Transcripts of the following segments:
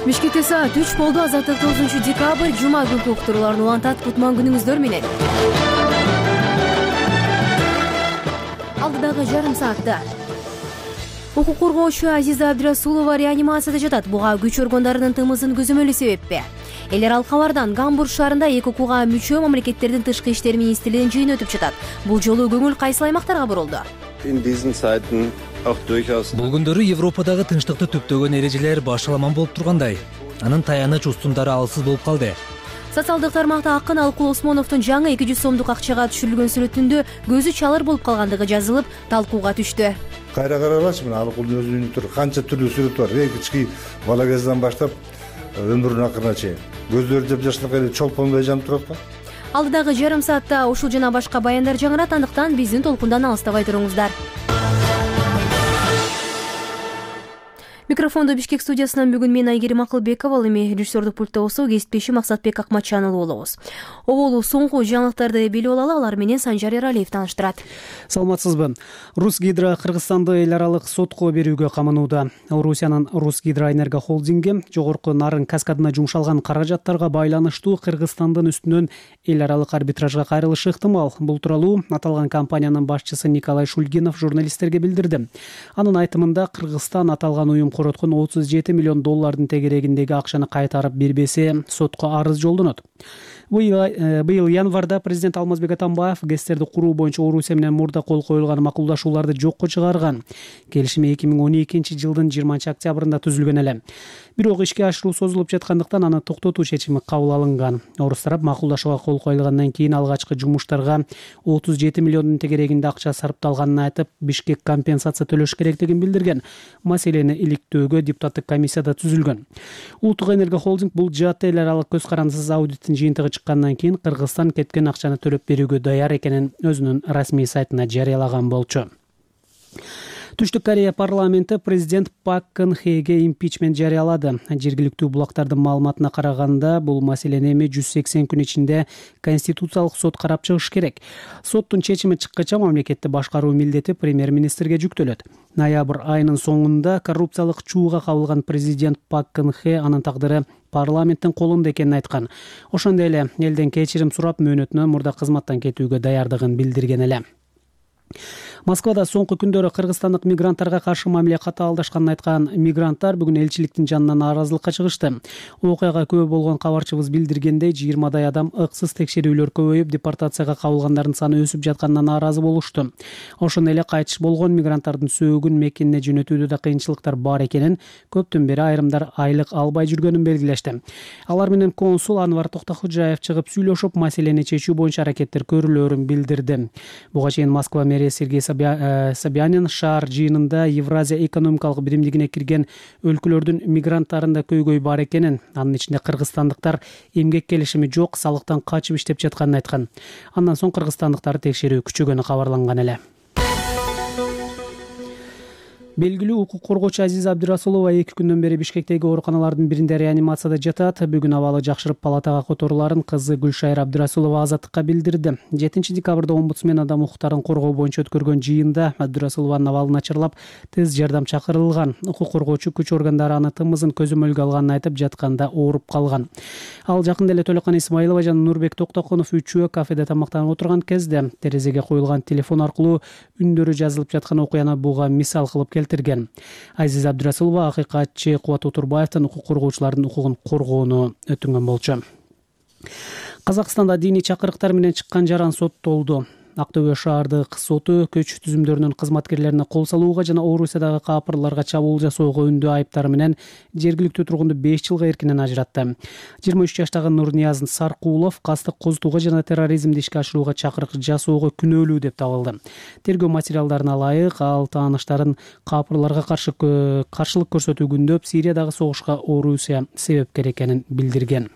Бишкекте саат 3 болду. Азаттык 9 декабрь жума күнкү уктурууларын улантат. Кутман күнүңүздөр менен. Алдыдагы жарым саатта укук коргоочу Азиза Абдрасулова реанимацияда жатат. Буга күч органдарынын тымызын көзөмөлү себеппи? Эл аралык кабардан Гамбург шаарында ЭКОКуга мүчө мамлекеттердин тышкы иштер министрлигинин жыйыны өтүп жатат. Бул жолу көңүл кайсыл аймактарга бурулду? Бул күндөрү Европадагы тынчтыкты түптөгөн эрежелер башаламан болуп тургандай. Анын таяныч устундары алсыз болуп калды. Социалдык тармакта акын Алкул Осмоновдун жаңы 200 сомдук акчага түшүрүлгөн сүрөтүндө көзү чалыр болуп калгандыгы жазылып, талкууга түштү. Кайра каралачы, мына Алкулдун өзүнүн тур канча түрлүү сүрөт бар. Эң кички бала кезден баштап өмүрүнүн акырына чейин. Көздөрү жапжаштап эле чолпонбой жанып турат го. Алдыдагы жарым саатта ушул жана башка баяндар жаңырат, андыктан биздин толкундан алыстабай туруңуздар. Микрофондо Бишкек студиясынан бүгүн мен Айгерим Акылбекова, ал эми режиссердук пультта болсо кесиптешим Максатбек Акматчан болобуз. Оболу соңку жаңылыктарды билип алалы, алар менен Санжар Эралиев тааныштырат. Саламатсызбы? Русгидро Кыргызстанды эл аралык сотко берүүгө каманууда. Орусиянын Русгидроэнерго холдинги жогорку нарын каскадына жумшалган каражаттарга байланыштуу Кыргызстандын үстүнөн эл аралык арбитражга кайрылышы ыктымал. Бул тууралуу аталган компаниянын башчысы Николай Шульгинов журналисттерге билдирди. Анын айтымында Кыргызстан аталган уюм короткон 37 миллион доллардын тегерегиндеги акчаны кайтарып бербесе, сотко арыз жолдонот. Быйыл январда президент Алмазбек Атамбаев ГЭСтерди куруу боюнча Орусия менен мурда кол коюлган макулдашууларды жокко чыгарган. Келишим 2012-жылдын 20-октябрында түзүлгөн эле. Бирок ишке ашыруу созулуп жаткандыктан аны токтотуу чечими кабыл алынган. Орус тарап макулдашууга кол коюлгандан кийин алгачкы жумуштарга 37 миллиондун тегерегинде акча сарпталганын айтып, Бишкек компенсация төлөш керектигин билдирген. Маселени иликтөөгө депутаттык комиссияда түзүлгөн. Улуттук энерго холдинг бул жаатта эл аралык көз карандысыз аудиттин жыйынтыгы чыккандан кийин Кыргызстан кеткен акчаны төлөп берүүгө даяр экенин өзүнүн расмий сайтына жарыялаган болчу. Түштүк Корея парламенти президент Пак Кын Хеге импичмент жарыялады. Жергиликтүү булактардын маалыматына караганда, бул маселени эми 180 күн ичинде Конституциялык сот карап чыгыш керек. Соттун чечими чыккача мамлекетти башкаруу милдети премьер-министрге жүктөлөт. Ноябрь айынын соңунда коррупциялык чууга кабылган президент Пак Кын Хе анын тагдыры парламенттин колунда экенин айткан. Ошондой эле элден кечирим сурап, мөөнөтүнөн мурда кызматтан кетүүгө даярдыгын билдирген эле. Москвада соңку күндөрү кыргызстандык мигранттарга каршы мамиле катаалдашканын айткан мигранттар бүгүн элчиликтин жанынан нааразылыкка чыгышты. Окуяга күбө болгон кабарчыбыз билдиргендей, 20дай адам ыксыз текшерүүлөр көбөйүп, депортацияга кабылгандардын саны өсүп жатканына нааразы болушту. Ошондой эле кайтыш болгон мигранттардын сөөгүн мекенине жөнөтүүдө да кыйынчылыктар бар экенин, көптөн бери айрымдар айлык албай жүргөнүн белгилешти. Алар менен консул Анвар Токтохожаев чыгып сүйлөшүп, маселени чечүү боюнча аракеттер көрүлөөрүн билдирди. Буга чейин Москва мэри Сергей Собянин шаар жыйынында Евразия экономикалык биримдигине кирген өлкөлөрдүн мигранттарында көйгөй бар экенин, анын ичинде кыргызстандыктар эмгек келишими жок, салыктан качып иштеп жатканын айткан. Андан соң кыргызстандыктар текшерүү күчөгөнү кабарланган эле. Белгилүү укук коргоочу Азиза Абдрасулова 2 күндөн бери Бишкектеги ооруканалардын биринде реанимацияда жатат. Бүгүн абалы жакшырып палатага которуларын кызы Гүлшайыр Абдрасулова Азаттыкка билдирди. 7 декабрда омбудсмен адам укуктарын коргоо боюнча өткөргөн жыйында Абдрасулованын абалы начарлап, тез жардам чакырылган. Укук коргоочу күч органдары аны тымызын көзөмөлгө алганын айтып, жатканда ооруп калган. Ал жакында эле Төлөкан Исмаилова жана Нурбек Токтокунов үчөө кафеде тамактанып отурган кезде терезеге коюлган телефон аркылуу үндөрү жазылып жаткан окуяны буга мисал кылып келтирген. Азиза Абдрасулова акыйкатчы Кубат Утурбаевдин укук коргоочулардын укугун коргоону өтүнгөн болчу. Казакстанда диний чакырыктар менен чыккан жаран соттолду. Актөбө шаардык соту көч түзүмдөрүнүн кызматкерлерине кол салууга жана Орусиядагы капырларга чабуул жасоого үндүү айыптары менен жергиликтүү тургунду 5 жылга эркинен ажыратты. 23 жаштагы Нурнияз Саркулов кастык козутууга жана терроризмди ишке ашырууга чакырык жасоого күнөөлүү деп табылды. Тергөө материалдарына ылайык, ал тааныштарын капырларга каршылык көрсөтүү күндөп Сириядагы согушка Орусия себепкер экенин билдирген.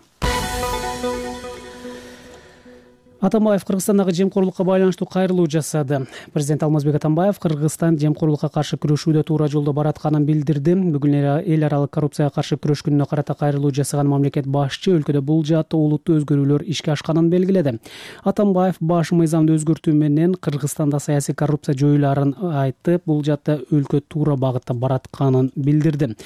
Атамбаев Кыргызстандагы жемкорлукка байланыштуу кайрылуу жасады. Президент Алмазбек Атамбаев Кыргызстан жемкорлукка каршы күрөшүүдө туура жолдо баратканын билдирди. Бүгүн эл аралык коррупцияга каршы күрөш күнүнө карата кайрылуу жасаган мамлекет башчы өлкөдө бул жааттуу олуттуу өзгөрүүлөр ишке ашканын белгиледи. Атамбаев баш мыйзамды өзгөртүү менен Кыргызстанда саясий коррупция жоюларын айтып, бул жаатта өлкө туура багытта баратканын билдирди.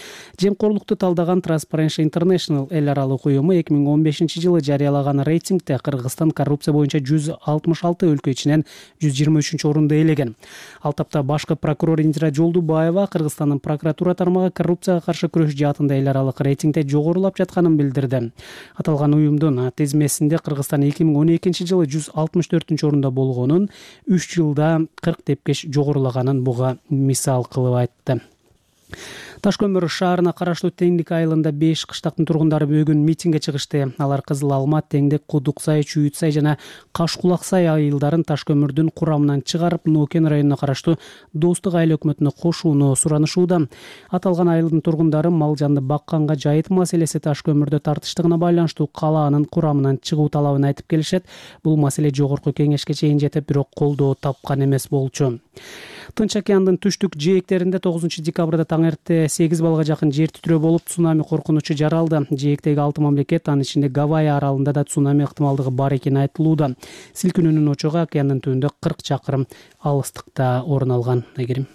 Жемкорлукту талдаган Transparency International эл аралык уюму 2015-жылы жарыялаган рейтингде Кыргызстан коррупция боюнча 166 өлкө ичинен 123 орунду ээлеген. Ал тапта башкы прокурор Индира Жолдубаева Кыргызстандын прокуратура тармагы коррупцияга каршы күрөш жаатында эл аралык рейтингде жогорулап жатканын билдирди. Аталган уюмдун тизмесинде Кыргызстан 2012-жылы 164-орунда болгонун, 3 жылда 40 тепкеч жогорулаганын буга мисал кылып айтты. Ташкөмүр шаарына караштуу Теңдик айылында 5 кыштактын тургундары бүгүн митингге чыгышты. Алар Кызыл Алма, Теңдик, Кудуксай, Чүйүтсай жана Кашкулаксай айылдарын Ташкөмүрдүн курамынан чыгарып, Нокен районуна караштуу Достук айыл өкмөтүнө кошууну суранышууда. Аталган айылдын тургундары мал жанды бакканга жайыт маселеси Ташкөмүрдө тартыштыгына байланыштуу калаанын курамынан чыгуу талабын айтып келишет. Бул маселе жогорку кеңешке чейин жетип, бирок колдоо тапкан эмес болчу. Тынч океандын түштүк жээктеринде 9-декабрда таң эрте 8 балга жакын жер титирөө болуп, цунами коркунучу жаралды. Жээктеги 6 мамлекет, анын ичинде Гавайи аралында да цунами ыктымалдыгы бар экени айтылууда. Силкинүүнүн очогу океандын түбүндө 40 чакырым алыстыкта орун алган. Айгерим.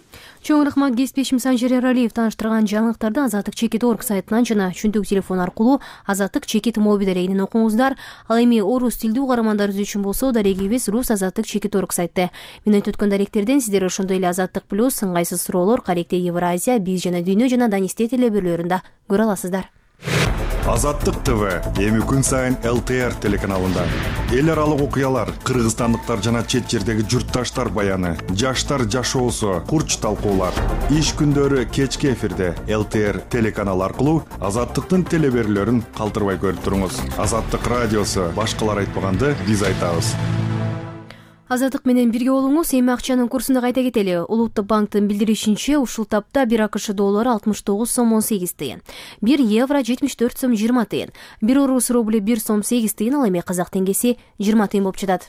Чоң рахмат кесиптешим Санжар Эралиев тааныштырган жаңылыктарды Азаттык чекит орг сайтынан жана чүнтүк телефон аркылуу Азаттык чекит мобил дарегинен окуңуздар. Ал эми орус тилдүү угармандарыбыз үчүн болсо дарегибиз рус Азаттык чекит орг сайты. Мен өткөн даректерден сиздер ошондой эле Азаттык плюс, ыңгайсыз суроолор, каректе Евразия, биз жана дүйнө жана Данисте телебөрлөрүндө көрө аласыздар. Азаттык ТВ эми күн сайын ЛТР телеканалында. Эл аралык окуялар, кыргызстандыктар жана чет жердеги журтташтар баяны, жаштар жашоосу, курч талкуулар. Иш күндөрү кечки эфирде ЛТР телеканалы аркылуу Азаттыктын телебөрлөрүн калтырбай көрүп туруңуз. Азаттык радиосу башкалар айтпаганды биз айтабыз. Азаттык менен бирге болуңуз. Эми акчанын курсунда кайта кетели. Улуттук банктын билдиришинче, ушул тапта 1 АКШ доллары 69 сом 18 тыйын, 1 евро 74 сом 20 тыйын, 1 орус рубли 1 сом 8 тыйын, ал эми казак теңгеси 20 тыйын болуп жатат.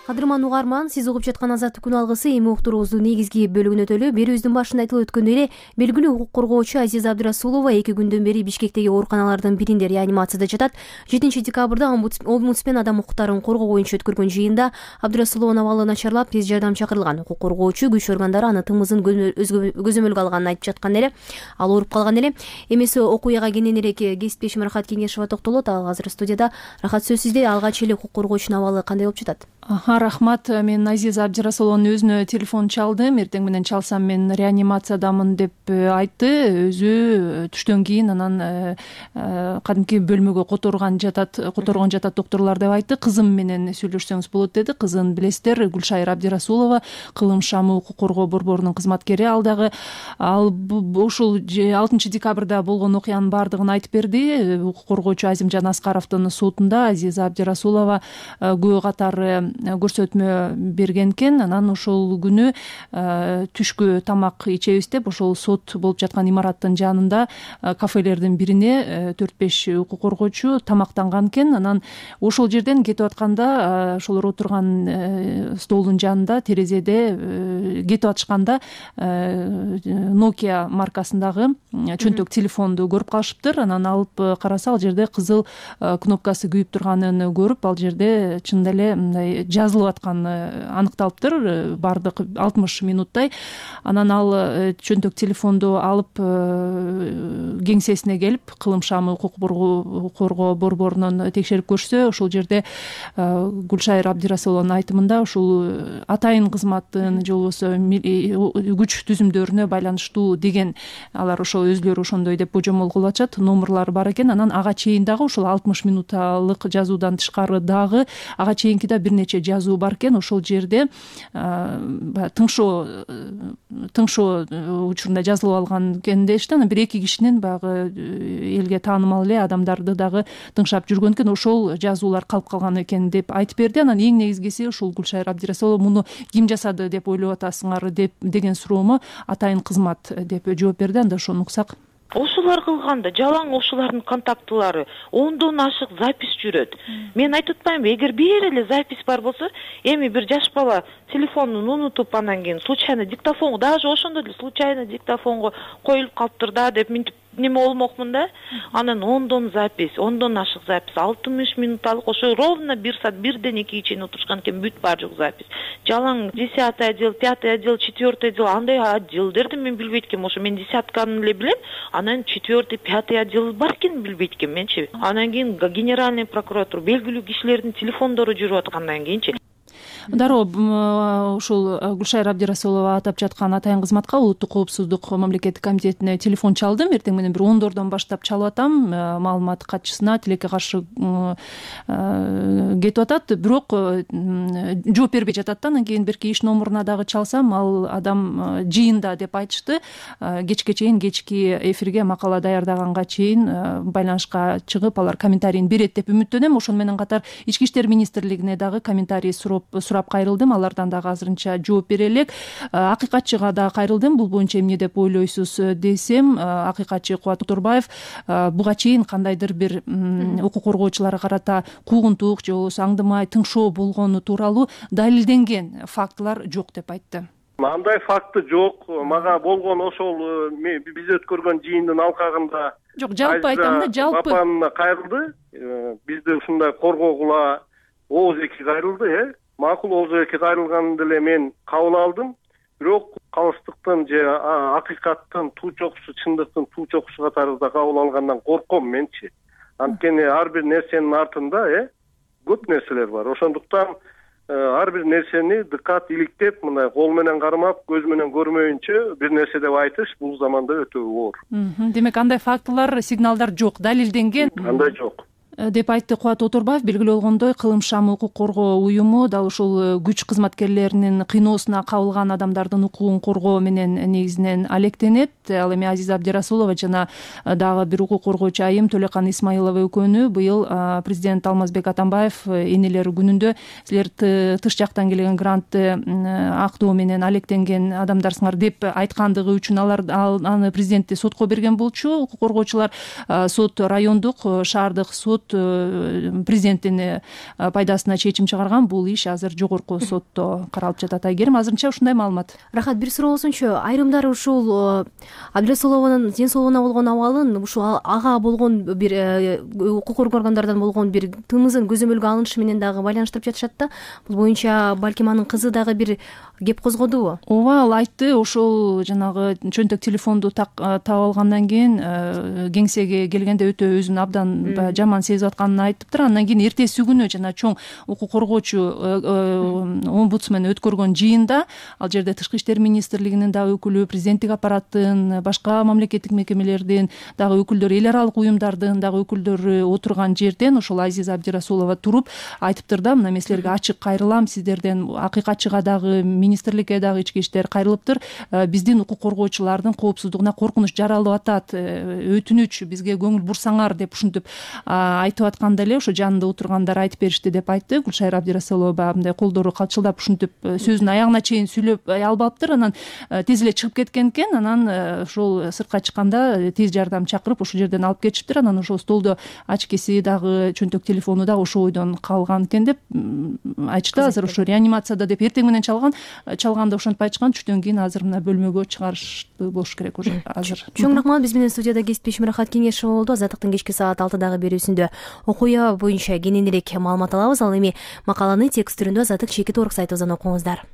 Кадырман угарман, сиз угуп жаткан Азаттык күн алгысы эми уктуруубуздун негизги бөлүгүнө өтөлү. Берүүбүздүн башында айтылып өткөндөй эле, белгилүү укук коргоочу Азиза Абдрасулова 2 күндөн бери Бишкектеги ооруканалардын биринде реанимацияда жатат. 7 декабрда омбудсмен адам укуктарын коргоо боюнча өткөргөн жыйында Абдрасулованын абалы начарлап, тез жардам чакырылган. Укук коргоочу күч органдары аны тымызын көзөмөлгө алганын айтып жаткан эле. Ал ооруп калган эле. Эмеси окуяга кененирээк кесиптешим Рахат Кеңешова токтолот. Ал азыр студияда. Рахат, сөз сизде. Алгач эле укук коргоочунун абалы кандай болуп жатат? Рахмат. Мен Азиза Абдрасулованын өзүнө телефон чалдым. Эртең менен чалсам мен реанимациядамын деп айтты. Өзү түштөн кийин анан кадимки бөлмөгө которгон жатат докторлор деп айтты. Кызым менен сүйлөшсөңүз болот деди. Кызын билесиздер, Гүлшайыр Абдрасулова, Кылым шамы укук коргоо борборунун кызматкери. Ал ушул 6 декабрда болгон окуянын баардыгын айтып берди. Укук коргоочу Азимжан Аскаровдун сотунда Азиза Абдрасулова күбө катары көрсөтмө берген экен. Анан ошол күнү түшкү тамак ичебиз деп ошол сот болуп жаткан имараттын жанында кафелердин бирине 4-5 укук коргоочу тамактанган экен. Анан ошол жерден кетип атканда, ошолор отурган столдун жанында терезеде кетип атышканда Nokia маркасындагы чөнтөк телефонду көрүп калышыптыр. Анан алып караса, ал жерде кызыл кнопкасы күйүп турганын көрүп, ал жерде чындап эле мындай жазылып атканы аныкталыптыр, бардык 60 минуттай. Анан ал чөнтөк телефонду алып кеңсесине келип, Кылым шамы укук коргоо борборунан текшерип көрсө, ошол жерде Гүлшайыр Абдрасулованын айтымында ушул атайын кызматтын же болбосо күч түзүмдөрүнө байланыштуу деген, алар ошо өзүлөрү ошондой деп божомол кылып атышат. Номерлары бар экен. Анан ага чейин дагы ушул 60 минутталык жазуудан тышкары дагы ага чейинки да бир нече жазуу бар экен. Ошол жерде тыңшоо учурунда жазылып алган экен дешти. Анан бир 2 кишинин баягы элге таанымал эле адамдарды дагы тыңшап жүргөн экен. Ошол жазуулар калып калган экен деп айтып берди. Анан эң негизгиси ушул Гүлшайыр Абдрасулова муну ким жасады деп ойлоп атасыңар деген суроомо атайын кызмат деп жооп берди. Анда ошону уксак. Ошолор кылганда жалаң ошолордун контактылары ондон ашык запись жүрөт. Мен айтып атпаймынбы, эгер бир эле запись бар болсо, эми бир жаш бала телефонун унутуп анан кийин случайно диктофонго, даже ошондо деле случайно диктофонго коюлуп калыптыр да деп минтип неме болмокмун да. Анан ондон ашык запись 60 минутталык, ошо ровно 1 саат 1ден 2 чейин отурушкан экен, бүт бар жок запись. Жалаң 10-й отдел, 5-й отдел, 4-й отдел, андай отделдерди мен билбейт экенмин. Ошо мен 10-тканы эле билем, анан 4-й, 5-й отдел бар экенин билбейт экенмин менчи. Анан кийин генеральный прокуратура белгилүү кишилердин телефондору жүрүп аткандан кийинчи дароо ушул Гүлшайыр Абдирасулова атап жаткан атайын кызматка улуттук коопсуздук мамлекеттик комитетине телефон чалдым. Эртең менен бир 10дордон баштап чалып атам. Маалымат катчысына тилекке каршы кетип атат, бирок жооп бербей жатат да. Анан кийин берки иш номуруна дагы чалсам, ал адам жыйында деп айтышты. Кечке чейин, кечки эфирге макала даярдаганга чейин байланышка чыгып, алар комментарийин берет деп үмүттөнөм. Ошону менен катар Ички иштер министрлигине дагы комментарий сурап кайрылдым. Алардан дагы азырынча жооп бере элек. Акыйкатчыга да кайрылдым. Бул боюнча эмне деп ойлойсуз десем, акыйкатчы Кубат Отурбаев буга чейин кандайдыр бир укук коргоочуларга карата куугунтук же болбосо аңдымай тыңшоо болгону тууралуу далилденген фактылар жок деп айтты. Андай факты жок. Мага болгон ошол биз өткөргөн жыйындын алкагында жок, жалпы айтам да, жалпы апамына кайрылды. Бизди ушундай коргогула ооз эки кайрылды, макул, ооз эки кайрылганын деле мен кабыл алдым. Бирок калыстыктын же акыйкаттын туу чокусу, чындыктын туу чокусу катарында кабыл алгандан корком менчи. Анткени ар бир нерсенин артында көп нерселер бар. Ошондуктан ар бир нерсени дыкат иликтеп, мындай кол менен кармап, көз менен көрмөйүнчө бир нерсе деп айтыш бул заманда өтө оор. Демек андай фактылар, сигналдар жок, далилденген. Андай жок деп айтты Кубат Отурбаев. Белгилүү болгондой, Кылым Шам укук коргоо уюму дал ушул күч кызматкерлеринин кыйноосуна кабылган адамдардын укугун коргоо менен негизинен алектенет. Ал эми Азиза Абдирасулова жана дагы бир укук коргоочу айым Төлөкан Исмаилова экөөнү быйыл президент Алмазбек Атамбаев энелер күнүндө силер тыш жактан келген грантты актоо менен алектенген адамдарсыңар деп айткандыгы үчүн аны президентти сотко берген болчу. Укук коргоочулар сот, райондук, шаардык сот президенттин пайдасына чечим чыгарган. Бул иш азыр жогорку сотто каралып жатат. Айгерим, азырынча ушундай маалымат. Рахат, бир суроо болсунчу. Айрымдары ушул Абдирасулованын ден соолугуна болгон абалын, ушул ага болгон бир укук коргоо органдарынан болгон бир тымызын көзөмөлгө алынышы менен дагы байланыштырып жатышат да. Бул боюнча балким анын кызы дагы бир кеп козгодубу? Ооба, ал айтты. Ошол жанагы чөнтөк телефонду таап алгандан кийин кеңсеге келгенде өтө өзүн абдан жаман сезип атканын айтыптыр. Андан кийин эртеси күнү жана чоң укук коргоочу омбудсмен өткөргөн жыйында, ал жерде Тышкы иштер министрлигинин дагы өкүлү, президенттик аппараттын, башка мамлекеттик мекемелердин дагы өкүлдөрү, эл аралык уюмдардын дагы өкүлдөрү отурган жерден ошол Азиза Абдирасулова туруп айтыптыр да, мына мен силерге ачык кайрылам, сиздерден акыйкатчыга дагы, министрликке дагы, ички иштер кайрылыптыр. Биздин укук коргоочулардын коопсуздугуна коркунуч жаралып атат, өтүнүч, бизге көңүл бурсаңар деп ушинтип айтып атканда эле ошо жанында отургандар айтып беришти деп айтты. Гүлшайыр Абдирасулова баягындай колдору калчылдап ушинтип сөзүн аягына чейин сүйлөп албаптыр. Анан тез эле чыгып кеткен экен. Анан ошол сыртка чыкканда тез жардам чакырып ошол жерден алып кетишиптир. Анан ошол столдо ачкеси дагы, чөнтөк телефону дагы ошол ойдон калган экен деп айтышты. Азыр ошо реанимацияда деп эртең менен чалганда ошентип айтышкан. Түштөн кийин азыр мына бөлмөгө чыгарышты болуш керек уже азыр. Чоң рахмат. Биз менен студияда кесиптешим Рахат Кеңешова болду. Азаттыктын кечки саат 6дагы берүүсүндө окуя боюнча кененирээк маалымат алабыз. Ал эми макаланы текст түрүндө Азаттык Чекит Орг сайтыбыздан окуңуздар.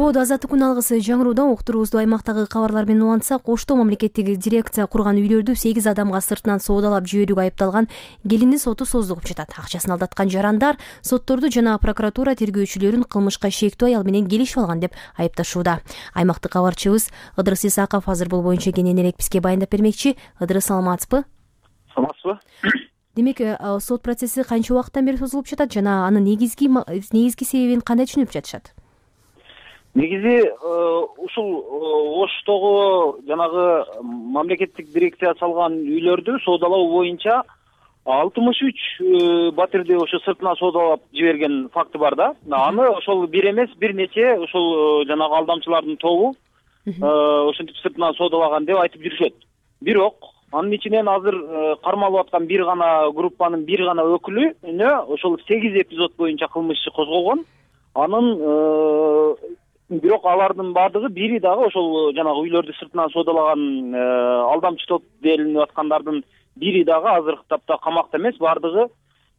Азаттык күн алгысы жаңырууда уктуруубузду аймактагы кабарлар менен улантсак, Оштоо мамлекеттик дирекция курган үйлөрдү 8 адамга сыртынан соодалап жиберүүгө айыпталган келиндин соту создугуп жатат. Акчасын алдаткан жарандар сотторду жана прокуратура тергөөчүлөрүн кылмышка шектүү аял менен келишип алган деп айыпташууда. Аймактык кабарчыбыз Ыдырыс Исаков азыр бул боюнча кененирээк бизге байындап бермекчи. Ыдырыс, саламатсызбы? Саламатсызбы? Демек, сот процесси канча убакыттан бери созулуп жатат жана анын негизги себебин кандай түшүнүп жатышат? Негизи ушул Оштогу жанагы мамлекеттик дирекция салган үйлөрдү соодалоо боюнча 63 батирди ошо сыртына соодалап жиберген факты бар да. Аны ошол бир эмес, бир нече ошол жанагы алдамчылардын тобу ошентип сыртынан соодалаган деп айтып жүрүшөт. Бирок анын ичинен азыр кармалып аткан бир гана группанын бир гана өкүлүнө ошол 8 эпизод боюнча кылмыш иши козголгон. Анын бирок алардын баардыгы бири дагы ошол жанагы үйлөрдү сыртынан соодалаган алдамчы топ делинип аткандардын бири дагы азыркы тапта камакта эмес, баардыгы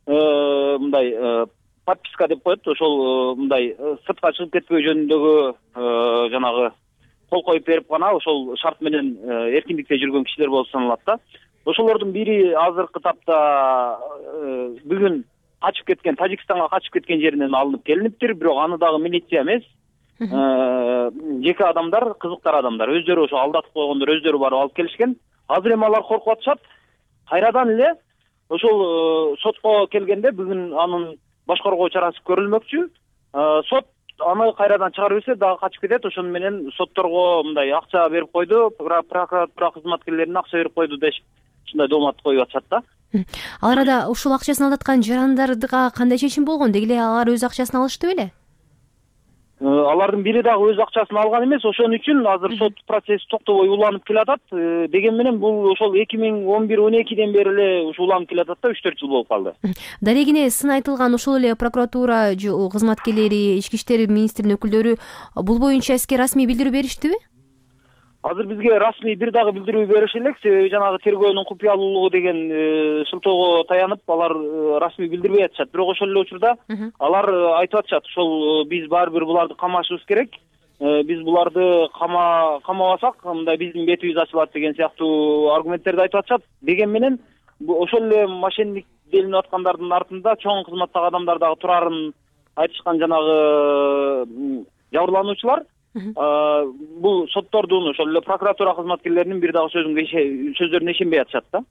мындай подписка деп коет, ошол мындай сыртка чыгып кетпөө жөнүндөгү жанагы кол коюп берип гана ошол шарт менен эркиндикте жүргөн кишилер болуп саналат да. Ошолордун бири азыркы тапта бүгүн качып кеткен, Тажикстанга качып кеткен жеринен алынып келиниптир, бирок аны дагы милиция эмес, жеке адамдар, кызыктар адамдар өздөрү ошо алдатып койгондор өздөрү барып алып келишкен. Азыр эми алар коркуп атышат. Кайрадан эле ошол сотко келгенде бүгүн анын башкаруу чарасы көрүлмөкчү. Сот аны кайрадан чыгарып берсе дагы качып кетет. Ошону менен сотторго мындай акча берип койду, прокуратура кызматкерлерине акча берип койду деп ушундай доомат коюп атышат да. Ал арада ушул акчасын алдаткан жарандарга кандай чечим болгон? Деги эле алар өз акчасын алышты беле? Алардын бири дагы өз акчасын алган эмес, ошон үчүн азыр сот процесси токтобой уланып келатат. Деген менен бул ошол 2011-12ден бери эле ушу уланып келатат да, 3-4 жыл болуп калды. Дарегине сын айтылган ошол эле прокуратура кызматкерлери, ички иштер министринин өкүлдөрү бул боюнча эске расмий билдирүү бериштиби? Азыр бизге расмий бир дагы билдирүү бериши элек, себеби жанагы тергөөнүн купуялуулугу деген шылтоого таянып алар расмий билдирбей атышат. Бирок ошол эле учурда алар айтып атышат, ошол биз баары бир буларды камашыбыз керек, биз буларды камабасак мындай биздин бетибиз ачылат деген сыяктуу аргументтерди айтып атышат. Деген менен ошол эле мошенник делинип аткандардын артында чоң кызматтагы адамдар дагы турарын айтышкан жанагы жабырлануучулар. Бул соттордун ошол эле прокуратура кызматкерлеринин бир дагы сөздөрүнө ишенбей атышат да.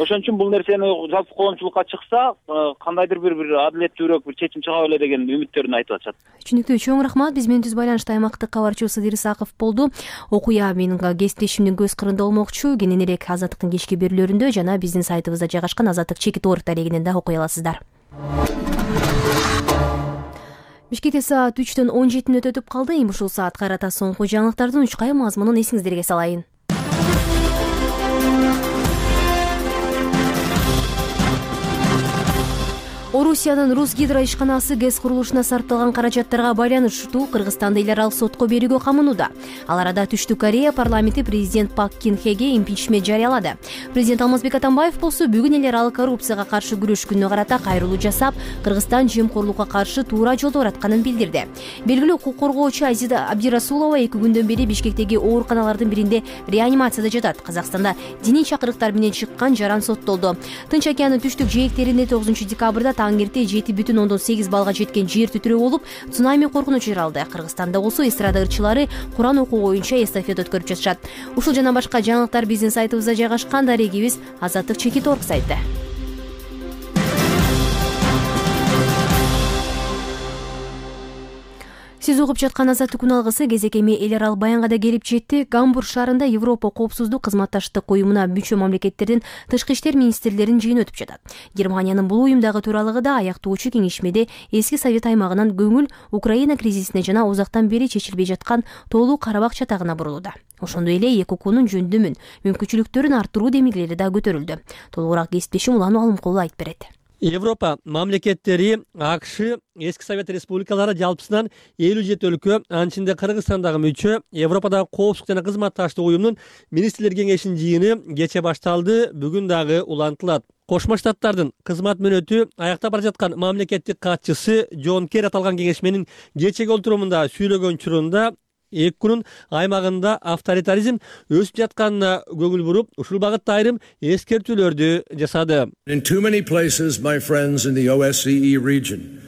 Ошон үчүн бул нерсени жалпы коомчулукка чыкса, кандайдыр бир адилеттүүрөөк бир чечим чыга беле деген үмүттөрүн айтып атышат. Түшүнүктүү, чоң рахмат. Биз менен түз байланышта аймактык кабарчы Сыдыр Исаков болду. Окуя менин кесиптешимдин көз кырында болмокчу. Кененирээк Азаттыктын кечки берүүлөрүндө жана биздин сайтыбызда жайгашкан Азаттык чекит орг дарегинен да окуй аласыздар. Бишкекте саат 3-төн 17 мүнөт өтүп калды. Эми ушул саатка карата соңку жаңылыктардын учкай мазмунун эсиңиздерге салайын. Орусиянын Русгидро ишканасы ГЭС курулушуна сарпталган каражаттарга байланыштуу Кыргызстанды эл аралык сотко берүүгө камынууда. Ал арада Түштүк Корея парламенти президент Пак Кин Хеге импичмент жарыялады. Президент Алмазбек Атамбаев болсо бүгүн эл аралык коррупцияга каршы күрөш күнүнө карата кайрылуу жасап, Кыргызстан жемкорлукка каршы туура жолдо баратканын билдирди. Белгилүү укук коргоочу Азиза Абдирасулова 2 күндөн бери Бишкектеги ооруканалардын биринде реанимацияда жатат. Казакстанда диний чакырыктар менен чыккан жаран соттолду. Тынч океандын түштүк жээктеринде 9 декабрда таң эрте 7,8 балга жеткен жер титирөө болуп, цунами коркунучу жаралды. Кыргызстанда болсо эстрада ырчылары Куран окуу боюнча эстафета өткөрүп жатышат. Ушул жана башка жаңылыктар биздин сайтыбызда жайгашкан. Дарегибиз Азаттык чекит орг сайты. Сиз угуп жаткан Азаттык күн алгысы кезек эми эл аралык баянга да келип жетти. Гамбург шаарында Европа коопсуздук кызматташтык уюмуна мүчө мамлекеттердин тышкы иштер министрлеринин жыйыны өтүп жатат. Германиянын бул уюмдагы төралыгы да аяктоочу кеңешмеде эски Совет аймагынан көңүл Украина кризисине жана узактан бери чечилбей жаткан Тоолуу Карабак чатагына бурулууда. Ошондой эле эки укуунун жөндөмүн, мүмкүнчүлүктөрүн арттыруу демилгелери да көтөрүлдү. Толугураак кесиптешим Улан Алымкулов айтып берет. Европа мамлекеттери АКШ эски Совет республикалары жалпысынан 57 өлкө, анын ичинде Кыргызстан дагы мүчө. Европадагы коопсуздук жана кызматташтык уюмунун министрлер кеңешинин жыйыны кече башталды, бүгүн дагы улантылат. Кошмо Штаттардын кызмат мөөнөтү аяктап бара жаткан мамлекеттик катчысы Джон Керри аталган кеңешменин кечеги олтурумунда сүйлөгөн учурунда эки күнүн аймагында авторитаризм өсүп жатканына көңүл буруп, ушул багытта айрым эскертүүлөрдү жасады. In too many places, my friends in the OSCE region,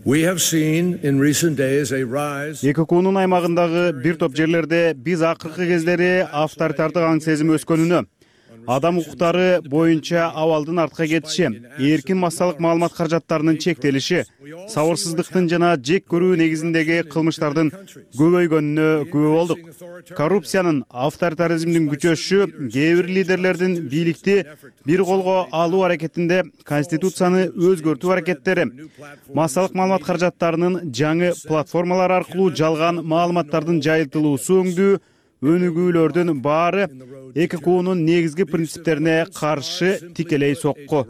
we have seen in recent days a rise. Эки күнүн аймагындагы бир топ жерлерде биз акыркы кездери авторитардык аң сезим өскөнүнө, адам укуктары боюнча абалдын артка кетиши, эркин массалык маалымат каражаттарынын чектелиши, сабырсыздыктын жана жек көрүү негизиндеги кылмыштардын көбөйгөнүнө күбө болдук. Коррупциянын, авторитаризмдин күчөшүшү кээ бир лидерлердин бийликти бир колго алуу аракетинде конституцияны өзгөртүү аракеттери, массалык маалымат каражаттарынын жаңы платформалар аркылуу жалган маалыматтардын жайылтылуусу өңдүү өнүгүүлөрдүн баары ЭККУнун негизги принциптерине каршы тикелей сокку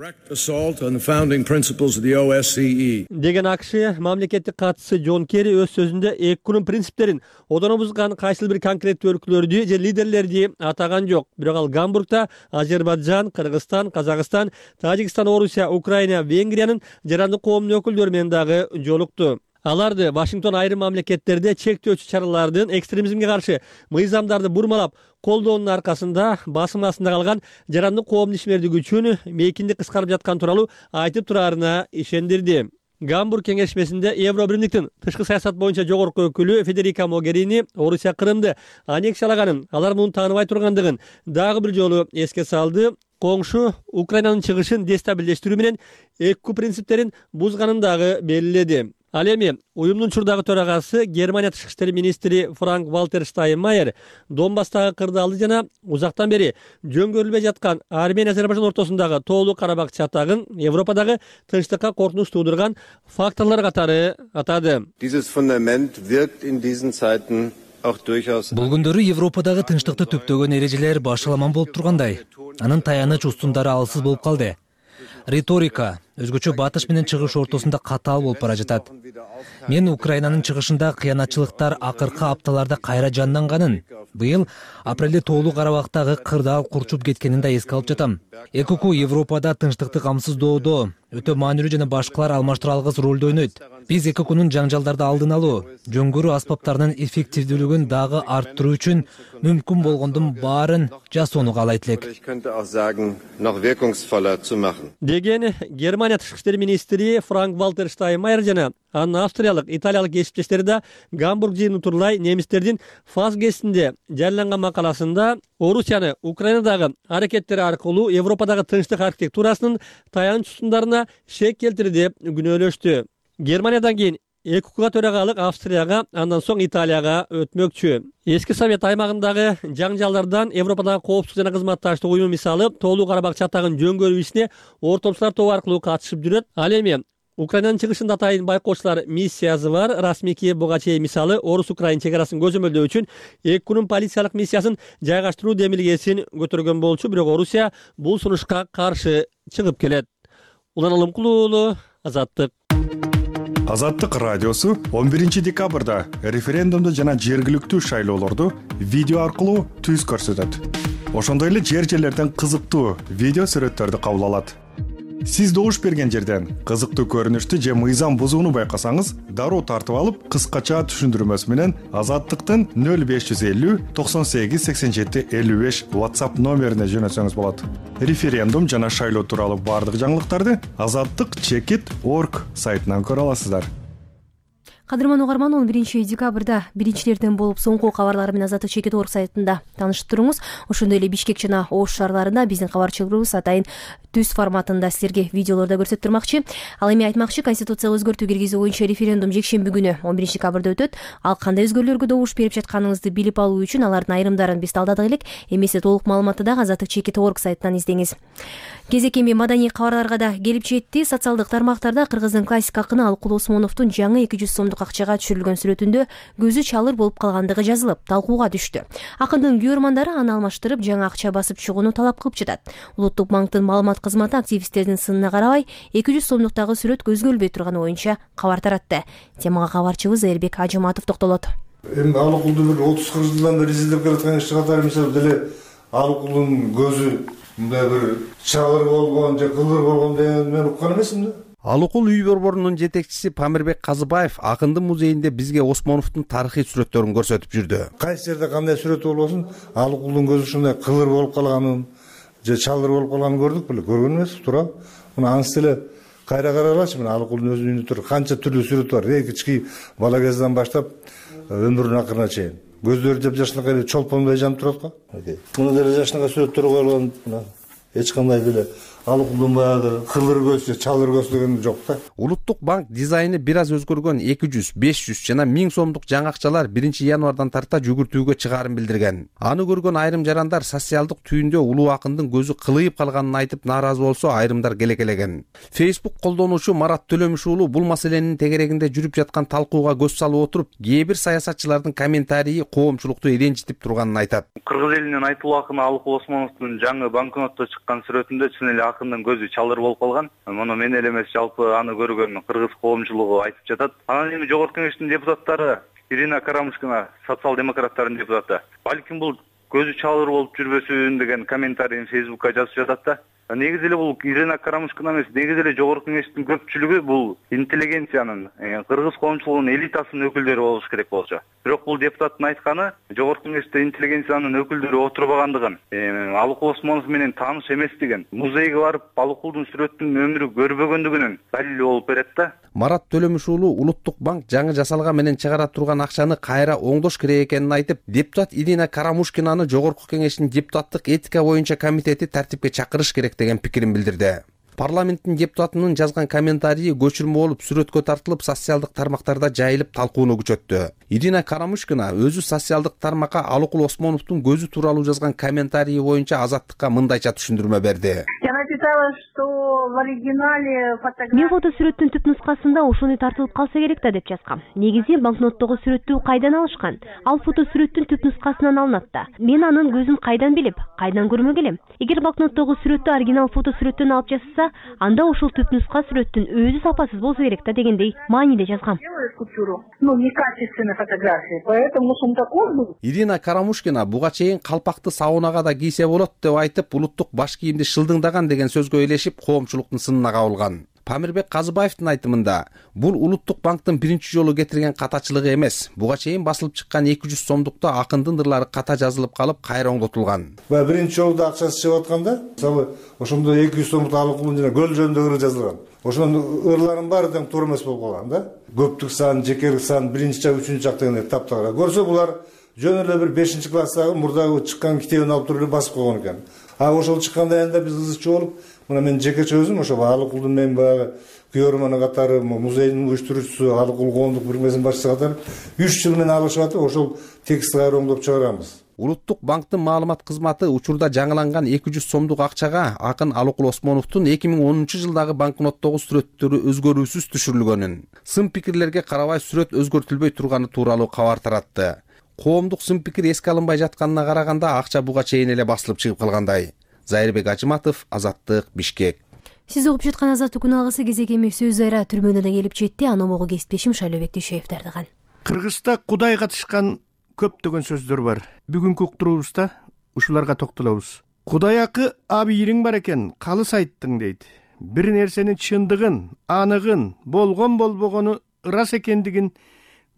деген АКШ мамлекеттик катчысы Джон Керри өз сөзүндө ЭККУнун принциптерин одоно бузган кайсыл бир конкреттүү өлкөлөрдү же лидерлерди атаган жок. Бирок ал Гамбургда Азербайджан, Кыргызстан, Казакстан, Тажикстан, Орусия, Украина, Венгриянын жарандык коомдун өкүлдөрү менен дагы жолукту. Аларды Вашингтон айрым мамлекеттерде чектөөчү чаралардын экстремизмге каршы мыйзамдарды бурмалап колдоонун аркасында басым астында калган жарандык коомдун ишмердиги үчүн мейкиндик кыскарып жаткан тууралуу айтып тураарына ишендирди. Гамбург кеңешмесинде Евробиримдиктин тышкы саясат боюнча жогорку өкүлү Федерика Могерини Орусия Крымды аннексиялаганын, алар муну тааныбай тургандыгын дагы бир жолу эске салды. Коңшу Украинанын чыгышын дестабилдештирүү менен ЭККУ принциптерин бузганын дагы белгиледи. Ал эми уюмдун учурдагы төрагасы Германия тышкы иштер министри Франк Вальтер Штайнмайер Донбасстагы кырдаалды жана узактан бери жөнгөрүлбөй жаткан Армения Азербайжан ортосундагы тоолуу Карабак чатагын Европадагы тынчтыкка коркунуч туудурган факторлор катары атады. Бул күндөрү Европадагы тынчтыкты түптөгөн эрежелер башаламан болуп тургандай, анын таяныч устундары алсыз болуп калды. Риторика өзгөчө батыш менен чыгыш ортосунда катаал болуп бара жатат. Мен Украинанын чыгышында кыянатчылыктар акыркы апталарда кайра жанданганын, быйыл апрелде тоолуу Карабактагы кырдаал курчуп кеткенин да эске алып жатам. ЭККУ Европада тынчтыкты камсыздоодо өтө маанилүү жана башкалар алмаштыра алгыс ролду ойнойт. Биз ЭККУнун жаңжалдарды алдын алуу, жөнгөрүү аспаптарынын эффективдүүлүгүн дагы арттыруу үчүн мүмкүн болгондун баарын жасоону каалайт элек. Деген Германия тышкы иштер министри Франк Вальтер Штайнмайер жана анын австриялык, италиялык кесиптештери да Гамбург жыйыны турлай немистердин ФАС гезитинде жарыяланган макаласында Орусияны Украинадагы аракеттери аркылуу Европадагы тынчтык архитектурасынын таяныч устундарына шек келтирди деп күнөөлөштү. Германиядан кийин ЭККУга төрагалык Австрияга, андан соң Италияга өтмөкчү. Эски Совет аймагындагы жаңжалдардан Европадагы коопсуздук жана кызматташтык уюму мисалы тоолуу Карабак чатагын жөнгөрүү ишине ортомчулар тобу аркылуу катышып жүрөт. Ал эми Украинанын чыгышында атайын байкоочулар миссиясы бар. Расмий Киев буга чейин мисалы Орус-Украин чек арасын көзөмөлдөө үчүн ЭККУнун полициялык миссиясын жайгаштыруу демилгесин көтөргөн болчу, бирок Орусия бул сунушка каршы чыгып келет. Улан Алымкулуу уулу, Азаттык. Азаттык радиосу 11 декабрда референдумду жана жергиликтүү шайлоолорду видео аркылуу түз көрсөтөт. Ошондой эле жер-жерлерден кызыктуу видео сүрөттөрдү кабыл алат. Сиз добуш берген жерден кызыктуу көрүнүштү же мыйзам бузууну байкасаңыз, дароо тартып алып, кыскача түшүндүрмөсү менен Азаттыктын 0550 98 87 55 WhatsApp номерине жөнөтсөңүз болот. Референдум жана шайлоо тууралуу бардык жаңылыктарды azattik.org сайтынан көрө аласыздар. Кадырман угарман, 11 декабрда биринчилерден болуп соңку кабарлар менен azattik.org сайтында таанышып туруңуз. Ошондой эле Бишкек жана Ош шаарларында биздин кабарчылыгыбыз атайын түз форматында силерге видеолорду көрсөтүп турмакчы. Ал эми айтмакчы, конституцияга өзгөртүү киргизүү боюнча референдум жекшемби күнү 11 декабрда өтөт. Ал кандай өзгөрүүлөргө добуш берип жатканыңызды билип алуу үчүн алардын айрымдарын биз талдадык элек. Эмесе толук маалыматты дагы azattik.org сайтынан издеңиз. Кезек эми маданий кабарларга да келип жетти. Социалдык тармактарда Кыргыздын классик акыны Алыкул Осмоновдун жаңы 200 сомдук акчага түшүрүлгөн сүрөтүндө көзү чалыр болуп калгандыгы жазылып, талкууга түштү. Акындын күйөрмандары аны алмаштырып, жаңы акча басып чыгууну талап кылып жатат. Улуттук банктын маалымат кызматы активисттердин сынына карабай 200 сомдуктагы сүрөт көзгөлбөй турганы боюнча кабар таратты. Темага кабарчыбыз Эрбек Ажыматов токтолот. Эми Алыкулду бир 30-40 жылдан бери издеп келаткан ишти катары мисалы деле Алыкулдун көзү мындай бир чалыр болгон же кылыр болгон деген мен уккан эмесмин да. Алыкул үй борборунун жетекчиси Памирбек Казыбаев Акындын музейинде бизге Осмоновдун тарыхый сүрөттөрүн көрсөтүп жүрдү. Кайсы жерде кандай сүрөт болбосун, Алыкулдун көзү ушундай кылыр болуп калганын же чалыр болуп калганын көрдүк беле, көргөн эмес, туура. Мына анысы эле кайра каралачы, мына Алыкулдун өзүнүн үйүндө тур канча түрлүү сүрөт бар. Кички бала кезден баштап өмүрүнүн акырына чейин. көздөрү жапжашынакай эле чолпондой жанып турат го. Мына деле жашынакай сүрөттөр коюлган, мына эч кандай деле алыкулдун баягы кылыр көз же чалыр көз деген жок да. Улуттук банк дизайны бир аз өзгөргөн 200, 500 жана 1000 сомдук жаңы акчалар 1-январдан тарта жүгүртүүгө чыгаарын билдирген. Аны көргөн айрым жарандар социалдык түйүндө улуу акындын көзү кылыйып калганын айтып нааразы болсо, айрымдар келекелеген. Facebook колдонуучу Марат Төлөмүш уулу бул маселенин тегерегинде жүрүп жаткан талкууга көз салып отуруп, кээ бир саясатчылардын комментарийи коомчулукту ренжитип турганын айтат. Кыргыз элинин айтылуу акыны Алыкул Осмоновдун жаңы банкнотто чыккан сүрөтүндө чын эле акындын көзү чалыр болуп калган. Муну мен эле эмес, жалпы аны көргөн кыргыз коомчулугу айтып жатат. Анан эми Жогорку Кеңештин депутаттары Ирина Карамушкина, социал-демократтардын депутаты, балким бул көзү чалыр болуп жүрбөсүн деген комментарийин Facebookка жазып жатат да. Негизи эле бул Ирина Карамушкина эмес, негизи эле Жогорку Кеңештин көпчүлүгү бул интеллигенциянын, кыргыз коомчулугунун элитасынын өкүлдөрү болуш керек болчу. Бирок бул депутаттын айтканы Жогорку Кеңеште интеллигенциянын өкүлдөрү отурбагандыгын, Алыкул Осмонов менен тааныш эместигин, музейге барып Алыкулдун сүрөтүнүн өмүрү көрбөгөндүгүнүн далили болуп берет да. Марат Төлөмүш уулу Улуттук банк жаңы жасалган менен чыгара турган акчаны кайра оңдош керек экенин айтып, депутат Ирина Карамушкинаны Жогорку Кеңештин депутаттык этика боюнча комитети тартипке чакырыш керек деген пикирин билдирди. Парламенттин депутатынын жазган комментарийи көчүрмө болуп сүрөткө тартылып, социалдык тармактарда жайылып талкууну күчөттү. Ирина Карамушкина өзү социалдык тармакка Алыкул Осмоновдун көзү тууралуу жазган комментарийи боюнча Азаттыкка мындайча түшүндүрмө берди. Мен фото сүрөттүн түп нускасында ошону тартылып калса керек да деп жазгам. Негизи банкноттогу сүрөттү кайдан алышкан? Ал фото сүрөттүн түп нускасынан алынат да. Мен анын көзүн кайдан билип, кайдан көрмөк элем? Эгер банкноттогу сүрөттү оригинал фото сүрөттөн алып жасаса, анда ошол түп нуска сүрөттүн өзү сапасыз болсо керек да дегендей мааниде жазгам. Ирина Карамушкина буга чейин калпакты саунага да кийсе болот деп айтып, улуттук баш кийимди шылдыңдаган деген сөзгө ээлешип, коомчулуктун сынына кабылган. Памирбек Казыбаевдин айтымында, бул Улуттук банктын биринчи жолу кетирген катачылыгы эмес. Буга чейин басылып чыккан 200 сомдукта акындын ырлары ката жазылып калып, кайра оңдотулган. Биринчи жолу акчасы чыгып атканда, мисалы, ошондо 200 сомдук Алыкулдун жана көл жөнүндө ыры жазылган. Ошонун ырларынын баары тең туура эмес болуп калган да. Көптүк сан, жекелик сан, биринчи жак, үчүнчү жак дегендей таптагыра. Көрсө булар жөн эле бир 5-класстагы мурдагы чыккан китебин алып туруп басып койгон экен. Ошол чыкканда айында биз кызыкчы болуп, мына мен жекече өзүм ошо Алыкулдун мен баягы күйөрманы катары, музейдин уюштуруучусу, Алыкул коомдук бирмесинин башчысы катары 3 жыл менен алышып атып, ошол текстти кайра оңдоп чыгарганбыз. Улуттук банктын маалымат кызматы учурда жаңыланган 200 сомдук акчага акын Алыкул Осмоновдун 2010-жылдагы банкноттогу сүрөттөрү өзгөрүүсүз түшүрүлгөнүн, сын пикирлерге карабай сүрөт өзгөртүлбөй турганы тууралуу кабар таратты. Коомдук сын пикир эске алынбай жатканына караганда акча буга чейин эле басылып чыгып калгандай. Зайырбек Ажыматов, Азаттык, Бишкек. Сиз угуп жаткан Азаттык күн алгысы кезек эмес сөз айра түрмөдөн да келип жетти. Аны могу кесиптешим Шайлообек Дүйшөев даярдаган. Кыргызда Кудай катышкан көптөгөн сөздөр бар. Бүгүнкү уктуруубузда ушуларга токтолобуз. Кудай акы абийириң бар экен, калыс айттың дейт. Бир нерсенин чындыгын, аныгын, болгон болбогону ырас экендигин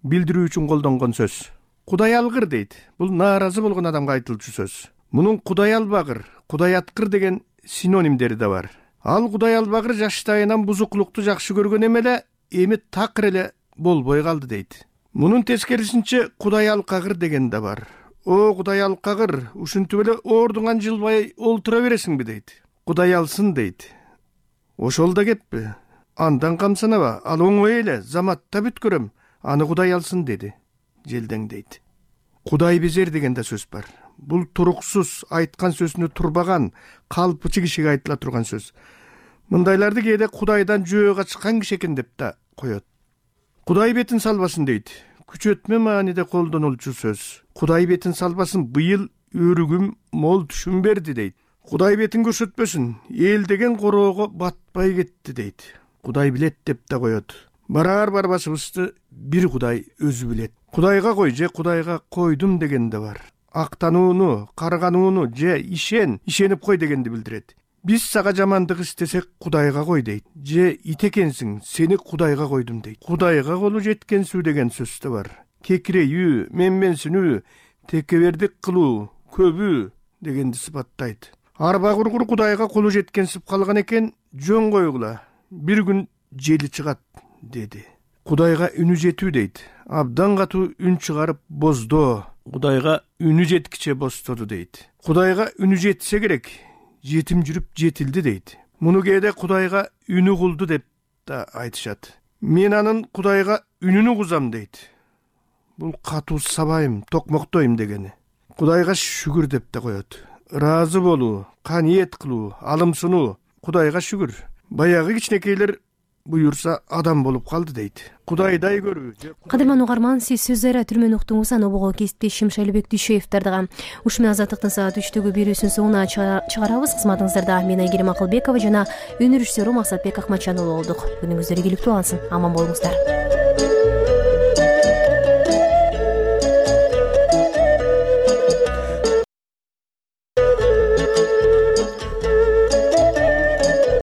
билдирүү үчүн колдонгон сөз. Кудай алгыр дейт. Бул нааразы болгон адамга айтылчу сөз. Мунун Кудай албагыр, Кудай аткыр деген синонимдери да бар. Ал Кудай албагыр жаштайынан бузуклукту жакшы көргөн эмеле, эми такыр эле болбой калды дейт. Мунун тескерисинче Кудай алкагыр деген да бар. О Кудай алкагыр, ушинтип эле ордуңан жылбай олтура бересиңби дейт. Кудай алсын дейт. Ошол да кеппи. Андан камсанаба, ал оңой эле, заматта бүткөрөм, аны Кудай алсын деди. Желдең дейт. Кудай безер деген да сөз бар. Бул туруксуз, айткан сөзүнө турбаган, калпычы кишиге айтыла турган сөз. Мындайларды кээде Кудайдан жөө качкан киши экен деп да коет. Кудай бетин салбасын дейт. Күчөтмө мааниде колдонулчу сөз. Кудай бетин салбасын, быйыл өрүгүм мол түшүм берди дейт. Кудай бетин көрсөтпөсүн, эл деген короого батпай кетти дейт. Кудай билет деп да коет. Барар барбашыбызды бир Кудай өзү билет. Кудайга кой же Кудайга койдум деген да бар. Актанууну, карганууну же ишенип кой дегенди билдирет. Биз сага жамандык истесек Кудайга кой дейт. Же ит экенсиң, сени Кудайга койдум дейт. Кудайга колу жеткенсүү деген сөз да бар. Кекирейүү, менменсинүү, текебердик кылуу, көбүү дегенди сыпаттайт. Арба кургур Кудайга колу жеткенсип калган экен, жөн койгула. Бир күн жели чыгат деди. Кудайга үнү жетүү дейт. Абдан катуу үн чыгарып боздоо. Кудайга үнү жеткиче бостоду дейт. Кудайга үнү жетсе керек, жетим жүрүп жетилди дейт. Муну кээде Кудайга үнү кулду деп да айтышат. Мен анын Кудайга үнүн угузам дейт. Бул катуу сабайым, токмоктойм дегени. Кудайга шүгүр деп да коет. Ыраазы болуу, каниет кылуу, алым сунуу. Кудайга шүгүр. Баягы кичинекейлер буюрса адам болуп калды дейт. Кудайдай көрүү. Кадырман угарман, сиз сөздөр түрмөн уктуңуз, анобого кесиптешим Шайлыбек Дүйшөев дагы. Ушул менен Азаттыктын саат 3-төгү берүүсүнүн соңуна чыгарабыз. Кызматыңыздарда мен Айгерим Акылбекова жана өнөр режиссеру Максатбек Акматжан уулу болдук. Күнүңүздөр ийгиликтүү алсын. Аман болуңуздар.